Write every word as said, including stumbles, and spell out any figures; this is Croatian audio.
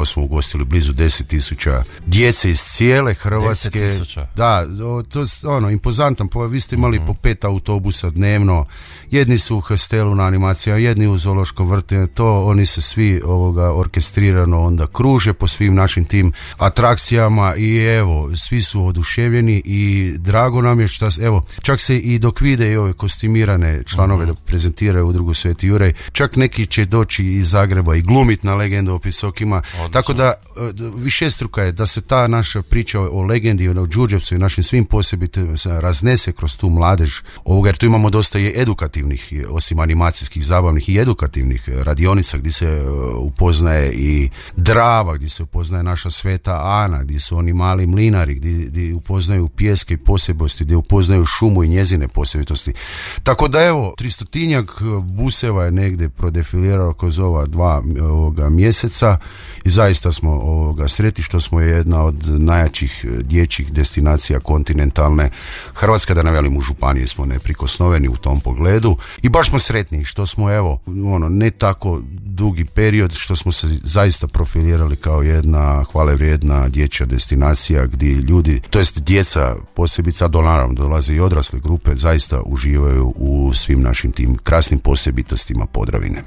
smo ugostili blizu deset tisuća djece iz cijele Hrvatske. deset tisuća Da, to je ono, impozantan, po, vi ste imali mm-hmm. po pet autobusa dnevno, jedni su u hostelu na animacijama, jedni u zoološkom vrtu, to oni se svi ovoga orkestrirano onda kruže po svim našim tim atrakcijama i evo, svi su oduševljeni i drago nam je što, evo, čak se i dok vide i ove kostimirane članove mm-hmm. dok prezentiraju u Drugu Sveti Juraj, čak neki će doći iz Zagreba i glumit na legendu o Pisokima, odlično. Tako da višestruka je da se ta naša priča o legendi, o Đurđevcu i našim svim posebitima raznese kroz tu mladež ovoga, jer tu imamo dosta i edukativnih, osim animacijskih, zabavnih i edukativnih radionica gdje se upoznaje i Drava, gdje se upoznaje naša Sveta Ana, gdje su oni mali mlinari, gdje, gdje upoznaju pjeske i posebnosti, gdje upoznaju šumu i njezine posebitosti. Tako da evo, tristotinjak buseva je negdje prodefilirao kroz ova dva ovoga mjeseca i zaista smo ovoga sretni što smo jedna od najjačih dječjih destinacija kontinentalne Hrvatske, da ne velim u županiji smo neprikosnoveni u tom pogledu i baš smo sretni što smo evo, ono, ne tako dugi period što smo se zaista profilirali kao jedna hvalevrijedna dječja destinacija gdje ljudi, to jest djeca posebice, do naravno dolaze i odrasle grupe, zaista uživaju u svim našim tim krasnim posebitostima Podravine.